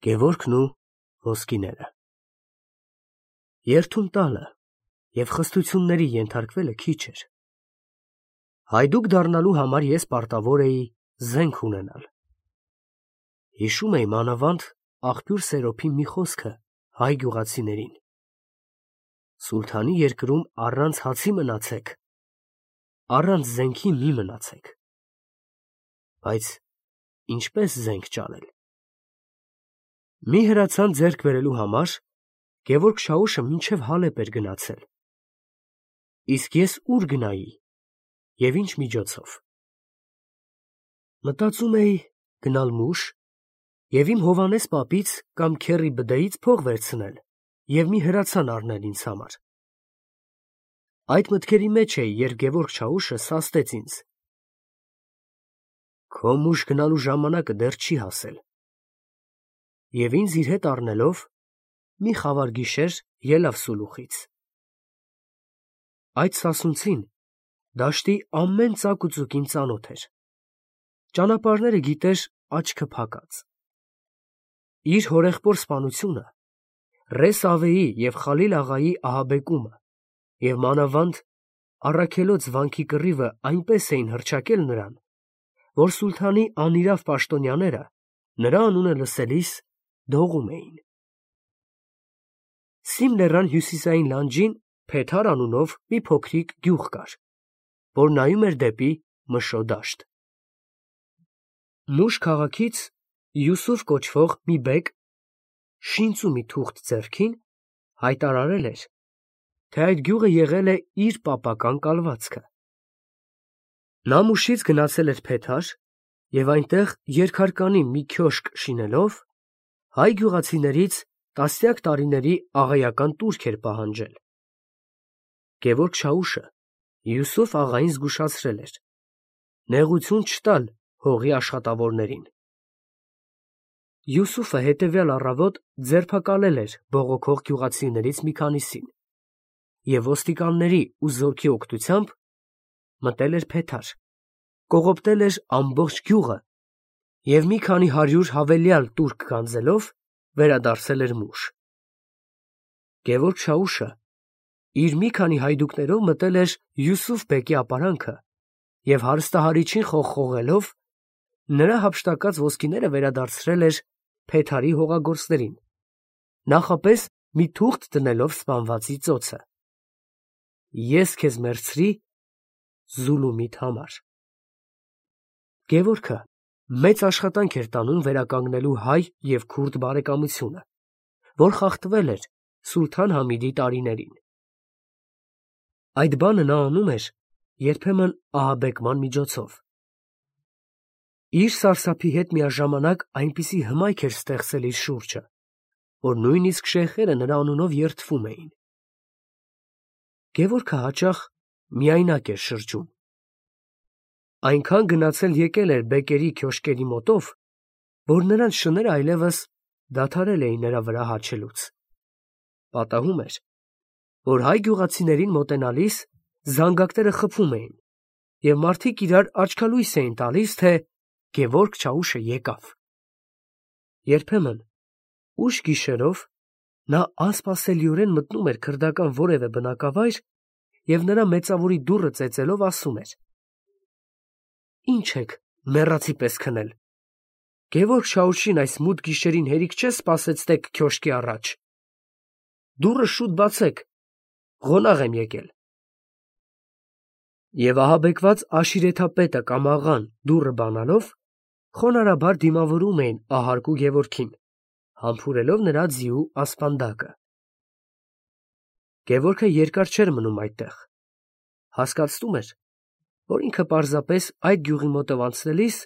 Գևորգն ու ոսկիները։ Երթուն տալը և խստությունների ենթարկվելը քիչ էր։ Հայդուկ դառնալու համար ես պարտավոր էի զենք ունենալ։ Հիշում էի մանավանդ աղբյուր Սերոփի մի խոսքը հայ գյուղացիներին. Սուլթանի երկրում առանց հացի մնացեք, առանց զենքի մի մնացեք։ Բայց ինչպես զենք ճարել։ Մի հրացան ձեռք բերելու համար Գևորգ Շաուշը մինչև Հալեբ էր գնացել։ Իսկ ես ուր գնայի և ինչ միջոցով։ Մտածում էի գնալ Մուշ և իմ Հովհաննես պապից կամ Քեռի Բդեից փող վերցնել և մի հրացան առնել ինձ համար։ Այդ մտքերի մեջ էի, երբ Գևորգ Շաուշը սաստեց ինձ. «Քո Մուշ գնալու ժամանակը դեռ չի հասել» և ինձ իր հետ առնելով մի խավար գիշեր ելավ Սուլուխից։ Այդ սասունցին դաշտի ամեն ծակ ու ծուկին ծանոթ էր։ Ճանապարհները գիտեր աչքը փակած։ Իր հորեղբոր սպանությունը, Ռես Ավեի և Խալիլ աղայի ահաբեկումը և մանավանդ Առաքելոց վանքի կռիվը այնպես էին հռչակել նրան, որ սուլթանի անիրավ պաշտոնյաները նրա անունը լսելիս դողում էին։ Սիմ լեռան հյուսիսային լանջին Փեթար անունով մի փոքրիկ գյուղ կար, որ նայում էր դեպի Մշո դաշտ։ Մուշ քաղաքից Յուսուֆ կոչվող մի բեկ, շինծ ու մի թուղթ ձեռքին, հայտարարել էր, թե այդ գյուղը եղել է իր պապական կալվածքը։ Նա Մուշից գնացել էր Փեթար և այնտեղ երկհարկանի մի քյոշք շինելով հայ գյուղացիներից տասնյակ տարիների աղայական տուրք էր պահանջել։ Գևորգ Շաուշը Յուսուֆ աղային զգուշացրել էր. նեղություն չտալ հողի աշխատավորներին։ Յուսուֆը հետևյալ առավոտ ձերբակալել էր բողոքող գյուղացիներից մի քանիսին և ոստիկանների ու զորքի օգնությամբ մտել էր Փեթար, կողոպտել էր ամբողջ գյուղը և մի քանի 100 հավելյալ տուրք գանձելով վերադարձել էր Մուշ։ Գևորգ Շաուշը իր մի քանի հայդուկներով մտել էր Յուսուֆ բեկի ապարանքը և հարստահարիչին խողխողելով նրա հափշտակած ոսկիները վերադարձրել էր Փեթարի հողագործներին, նախապես մի թուղթ դնելով սպանվածի ծոցը. Ես քեզ մերձրի Զուլումիդ համար։ Գևորգը մեծ աշխատանք էր տանում վերականգնելու հայ և քուրդ բարեկամությունը, որ խախտվել էր Սուլթան Համիդի տարիներին։ Այդ բանը նա անում էր երբեմն ահաբեկման միջոցով։ Իր սարսափի հետ միաժամանակ այնպիսի հմայք էր ստեղծել իր շուրջը, որ նույնիսկ շեյխերը նրա անունով երդվում էին։ Գևորգը հաճախ միայնակ էր շրջում։ Այնքան գնացել եկել էր բեկերի քյոշկերի մոտով, որ նրանց շները այլևս դադարել էին նրա վրա հաչելուց։ Պատահում էր, որ հայ գյուղացիներին մոտենալիս զանգակները խփում էին, և մարդիկ իրար աչքալույս էին տալիս, թե Գևորգ Շաուշը եկավ։ Երբեմն ուշ գիշերով նա անսպասելիորեն մտնում էր քրդական որևէ բնակավայր և նրա մեծավորի դուռը ծեծելով ասում էր. «Ի՞նչ եք մեռածի պես քնել. Գևորգ Շաուշին այս մութ գիշերին հերիք չէ սպասեցնեք քյոշկի առաջ. դուռը շուտ բացեք, ղոնաղ եմ եկել»։ Եվ ահաբեկված աշիրեթապետը կամ աղան դուռը բանալով խոնարհաբար դիմավորում էին ահարկու Գևորգին, համբուրելով նրա ձիու ասպանդակը։ Գևորգը երկար չէր մնում այդտեղ, հասկացնում էր, որ ինքը պարզապես այդ գյուղի մոտով անցնելիս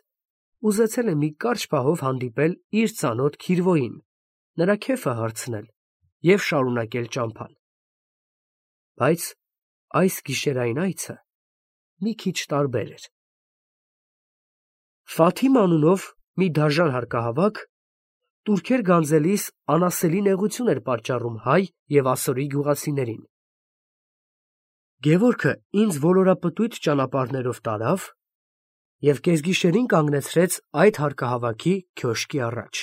ուզեցել է մի կարճ պահով հանդիպել իր ծանոթ Քիրվոյին, նրա քեֆը հարցնել և շարունակել ճամփան։ Բայց այս գիշերային այցը մի քիչ տարբեր էր։ Ֆաթիմ անունով մի դաժան հարկահավաք տուրքեր գանձելիս անասելի նեղություն էր պատճառում հայ և ասորի գյուղացիներին։ Գևորգը ինձ ոլորապտույտ ճանապարհներով տարավ և կեսգիշերին կանգնեցրեց այդ հարկահավաքի քյոշկի առաջ։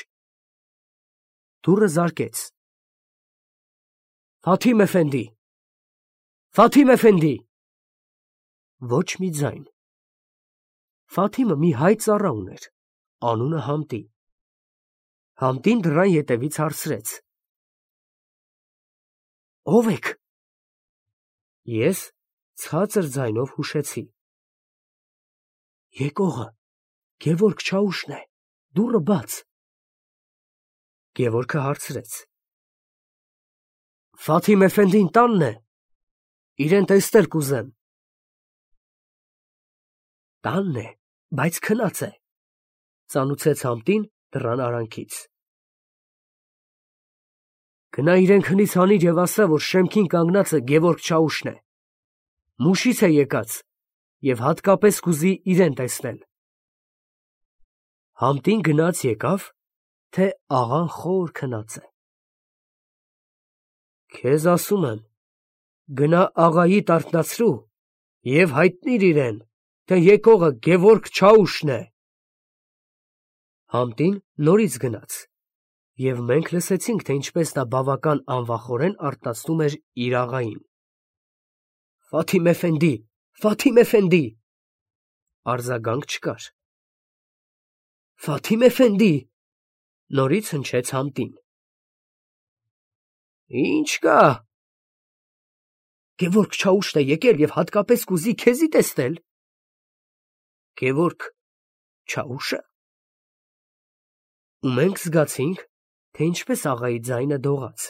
դուռը զարկեց։ Ֆաթիմ Էֆենդի, Ֆաթիմ Էֆենդի։ Ոչ մի ձայն։ Ֆաթիմը մի հայ ծառա ուներ, անունը Համտի։ Համտին դռան ետևից հարցրեց. Ո՞վ եք։ Ես ցածր ձայնով հուշեցի. Եկողը Գևորգ Չաուշն է, դուռը բաց։ Գևորգը հարցրեց. Ֆաթիմ Էֆենդին տանն է, իրեն տեսնել կուզեմ։ Տանն է, բայց քնած է, ծանուցեց Համտին դռան արանքից։ Գնա իրեն քնից հանիր և ասա, որ շեմքին կանգնածը Գևորգ Չաուշն է, մուշից է եկած և հատկապես կուզի իրեն տեսնել։ Համտին գնաց եկավ, թե աղան խոր քնած է։ Քեզ ասում եմ, գնա աղայիդ արթնացրու և հայտնիր իրեն, թե եկողը Գևորգ Չաուշն է։ Համտին նորից գնաց, և մենք լսեցինք, թե ինչպես նա բավական անվախորեն արթնացնում էր իր աղային։ Ֆաթիմ Էֆենդի, Ֆաթիմ Էֆենդի։ Արձագանք չկար։ Ֆաթիմ Էֆենդի, նորից հնչեց Համտին։ Ինչ կա։ Գևորգ Չաուշն է եկել և հատկապես կուզի քեզի տեսնել։ Գևորգ Չաուշը։ Ու մենք զգացինք, թե ինչպես աղայի ձայնը դողաց։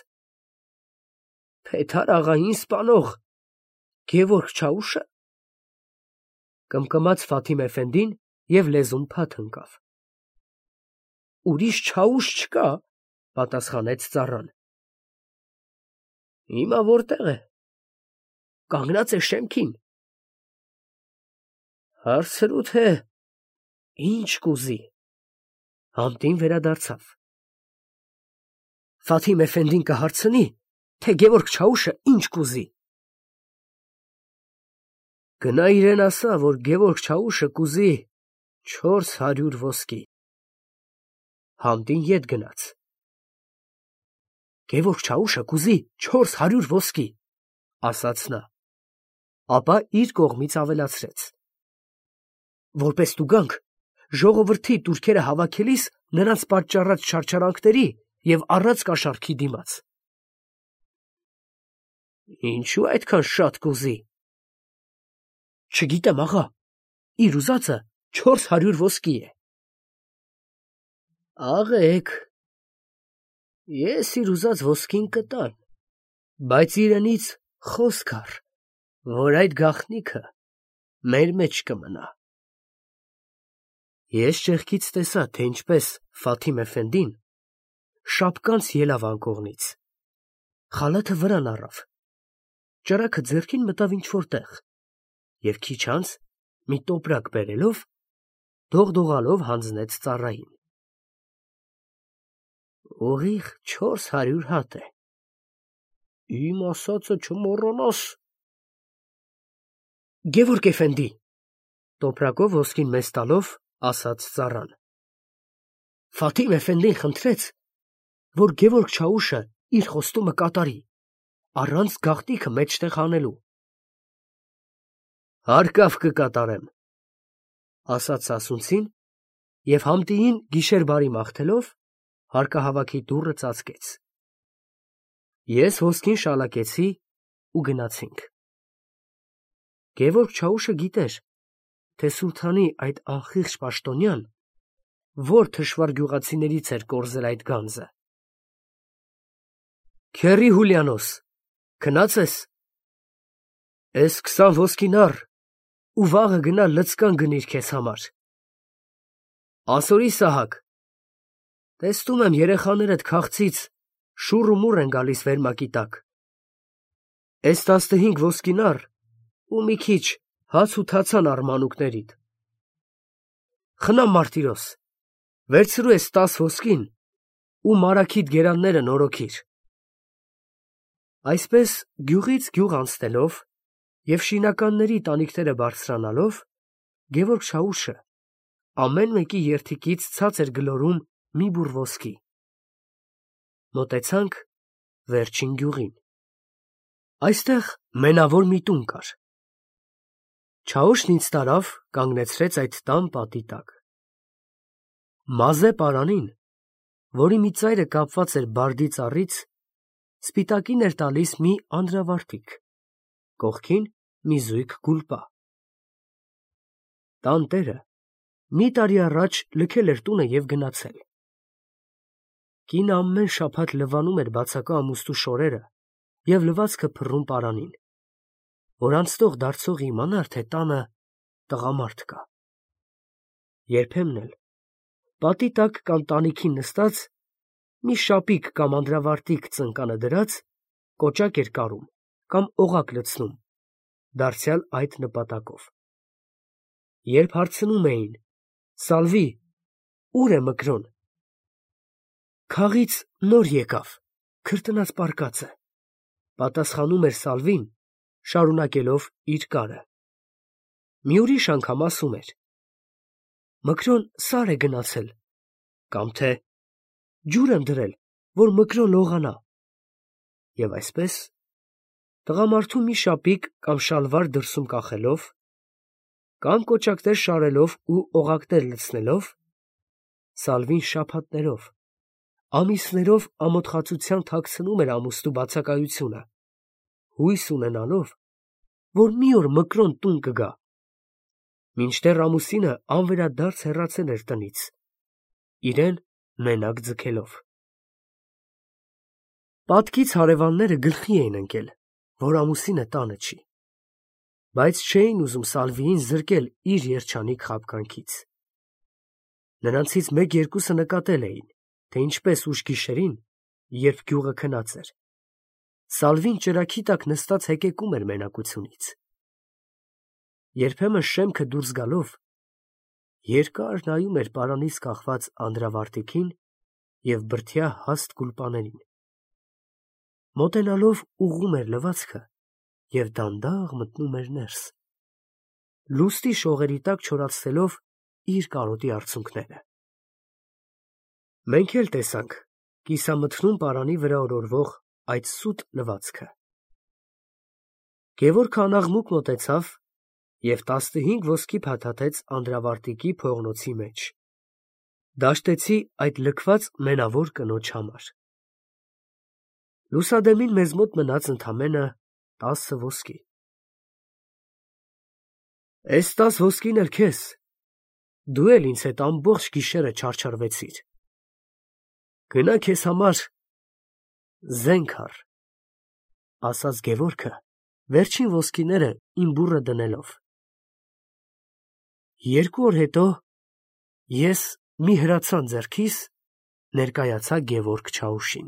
Փեթար աղային սպանող Գևորգ Չաուշը։ Կմկմաց Ֆաթիմ Էֆենդին և լեզուն փաթ ընկավ։ Ուրիշ Չաուշ չկա, պատասխանեց ծառան։ Հիմա որտեղ է։ Կանգնած է շեմքին։ Հարցրու, թե ինչ կուզի։ Համտին վերադարձավ։ Ֆաթիմ Էֆենդին կհարցնի, թե Գևորգ Չաուշը ինչ կուզի։ Գնա իրեն ասա, որ Գևորգ Չաուշը կուզի 400 ոսկի։ Համտին ետ գնաց։ Գևորգ Չաուշը կուզի 400 ոսկի, ասաց նա, ապա իր կողմից ավելացրեց. Որպես տուգանք, ժողովրդի տուրքերը հավաքելիս նրանց պատճառած չարչարանքների և առած կաշառքի դիմաց։ Ինչու այդքան շատ կուզի։ Չգիտեմ, աղա, իր ուզածը 400 ոսկի է։ Աղեք, ես իր ուզած ոսկին կտամ, բայց իրենից խոսք առ, որ այդ գաղտնիքը մեր մեջ կմնա։ Ես ճեղքից տեսա, թե ինչպես Ֆաթիմ Էֆենդին շապկանց ելավ անկողնից, խալաթը վրան առավ, ճրագը ձեռքին մտավ ինչ-որ տեղ և քիչ անց մի տոպրակ բերելով, դողդողալով հանձնեց ծառային։ Ուղիղ 400 հատ է։ Իմ ասածը չմոռանաս։ Գևորգ Էֆենդի, տոպրակով ոսկին մեզ տալով, ասաց ծառան։ Ֆաթիմ Էֆենդին խնդրեց, որ Գևորգ Չաուշը իր խոստումը կատարի, առանց գաղտնիքը մեջտեղ հանելու։ Հարկավ կկատարեմ, ասաց սասունցին և Համտիին գիշեր բարի մաղթելով հարկահավաքի դուռը ծածկեց։ Ես ոսկին շալակեցի ու գնացինք։ Գևորգ Չաուշը գիտեր, թե սուլթանի այդ անխիղճ պաշտոնյան որ թշվառ գյուղացիներից էր կորզել այդ գանձը։ Քերի Հուլիանոս, քնած ես։ Էս 20 ոսկին առ ու վաղը գնա լցկան գնիր քեզ համար։ Ասորի Սահակ, տեսնում եմ երեխաներդ քաղցից շուռ ու մուռ են գալիս վերմակի տակ։ Էս 15 ոսկին առ ու մի քիչ հաց ու թացան առ մանուկներիդ։ Խնամ Մարտիրոս, վերցրու ես 10 ոսկին ու մարաքիդ գերանները նորոգիր։ Այսպես գյուղից գյուղ անցնելով և շինականների տանիքները բարձրանալով, Գևորգ Չաուշը ամեն մեկի երդիկից ցած էր գլորում մի բուռ ոսկի։ Մոտեցանք վերջին գյուղին։ Այստեղ մենավոր մի տուն կար։ Չաուշն ինձ տարավ, կանգնեցրեց այդ տան պատի տակ։ Մազե պարանին, որի մի ծայրը կապված էր բարդի ծառից, սպիտակին էր տալիս մի անդրավարտիք, կողքին մի զույգ գուլպա։ Տան տերը մի տարի առաջ լքել էր տունը և գնացել։ Կինը ամեն շաբաթ լվանում էր բացակա ամուստու շորերը և լվացքը փռում պարանին, որ անցնող դարձող իմանար, թե տանը տղամարդ կա։ Երբեմն էլ պատի տակ կամ տանիքին նստած, մի շապիկ կամ անդրավարտիք ծնկանը դրած, կոճակ էր կարում կամ օղակ լցնում, դարձյալ այդ նպատակով։ Երբ հարցնում էին. «Սալվի, ո՞ւր է Մկրոն»։ «Քաղից նոր եկավ, քրտնած պառկած է», պատասխանում էր Սալվին, շարունակելով իր կարը։ Մի ուրիշ անգամ ասում էր. «Մկրոն սար է գնացել», կամ թե «Ջուր եմ դրել, որ Մկրոն լողանա»։ Եվ այսպես, տղամարդու մի շապիկ կամ շալվար դրսում կախելով, կամ կոճակներ շարելով ու օղակներ լցնելով, Սալվին շաբաթներով, ամիսներով ամոթխածության թաքցնում էր ամուստու բացակայությունը, հույս ունենալով, որ մի օր Մկրոն տուն կգա, մինչդեռ ամուսինը անվերադարձ հեռացել էր տնից, իրեն մենակ ձգելով։ Պատկից հարևանները գլխի էին ընկել, որ ամուսինը տանը չի, բայց չէին ուզում Սալվիին զրկել իր երջանիկ խաբկանքից։ Նրանցից մեկ-երկուսը նկատել էին, թե ինչպես ուշ գիշերին, երբ գյուղը քնած էր, Սալվին ճրագի տակ նստած հեկեկում էր մենակությունից։ Երբեմն շեմքը դուրս գալով, երկար նայում էր պարանից կախված անդրավարտիքին և բրդյա հաստ գուլպաներին։ Մոտենալով ուղղում էր լվացքը և դանդաղ մտնում էր ներս, լուստի շողերի տակ չորացնելով իր կարոտի արցունքները։ Մենք էլ տեսանք կիսամթնում պարանի վրա օրորվող այդ սուտ լվացքը։ Գևորգը անաղմուկ մոտեցավ և 15 ոսկի փաթաթեց անդրավարտիքի փողնոցի մեջ։ Դաշտեցի այդ լքված մենավոր կնոջ համար։ Լուսադեմին մեզ մոտ մնաց ընդամենը 10 ոսկի։ Էս 10 ոսկին էլ քեզ, դու էլ ինձ հետ ամբողջ գիշերը չարչարվեցիր։ Գնա քեզ համար զենք առ, ասաց Գևորգը, վերջին ոսկիները իմ բուռը դնելով։ 2 օր հետո ես մի հրացան ձեռքիս ներկայացա Գևորգ Չաուշին։